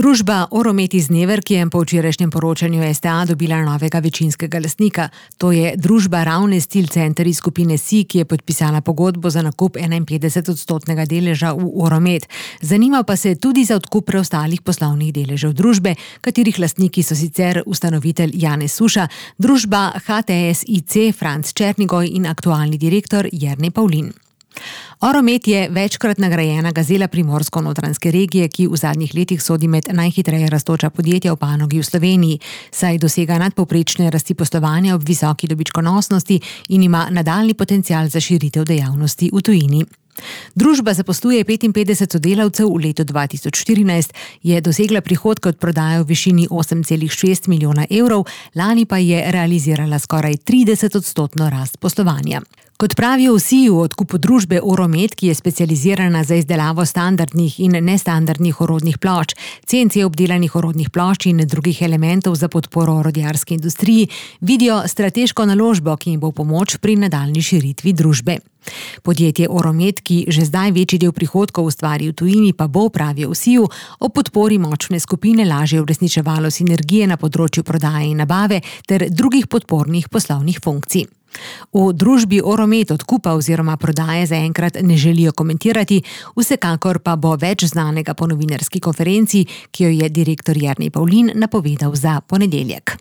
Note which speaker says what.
Speaker 1: Družba Oromet iz Neverk je po včerajšnjem poročanju STA dobila novega večinskega lastnika. To je družba Ravne Steel Center iz skupine SIJ, ki je podpisala pogodbo za nakup 51% deleža v Oromet. Zanima pa se tudi za odkup preostalih poslovnih deležev družbe, katerih lastniki so sicer ustanovitelj Janez Suša, družba HTS-IC Franc Černigoj in aktualni direktor Jernej Pavlin. Oromet je večkrat nagrajena gazela Primorsko-notranjske regije, ki v zadnjih letih sodi med najhitreje rastoča podjetja v panogi v Sloveniji, saj dosega nadpovprečne rasti poslovanja ob visoki dobičkonosnosti in ima nadaljnji potencial za širitev dejavnosti v tujini. Družba zaposluje 55 sodelavcev, v letu 2014 je dosegla prihodke od prodaje v višini 8,6 milijona evrov, lani pa je realizirala skoraj 30% rast poslovanja. Kot pravijo vsi v odkupu družbe Oromet, ki je specializirana za izdelavo standardnih in nestandardnih orodnih plošč, CNC obdelanih orodnih plošč in drugih elementov za podporo orodjarski industriji, vidijo strateško naložbo, ki jim bo pomoč pri nadaljnji širitvi družbe. Podjetje Oromet, ki že zdaj večji del prihodkov ustvari v tujini, pa bo, pravijo vsi, o podpori močne skupine lažje uresničevalo sinergije na področju prodaje in nabave ter drugih podpornih poslovnih funkcij. V družbi Oromet odkupa oziroma prodaje zaenkrat ne želijo komentirati, vsekakor pa bo več znanega po novinarski konferenci, ki jo je direktor Jernej Pavlin napovedal za ponedeljek.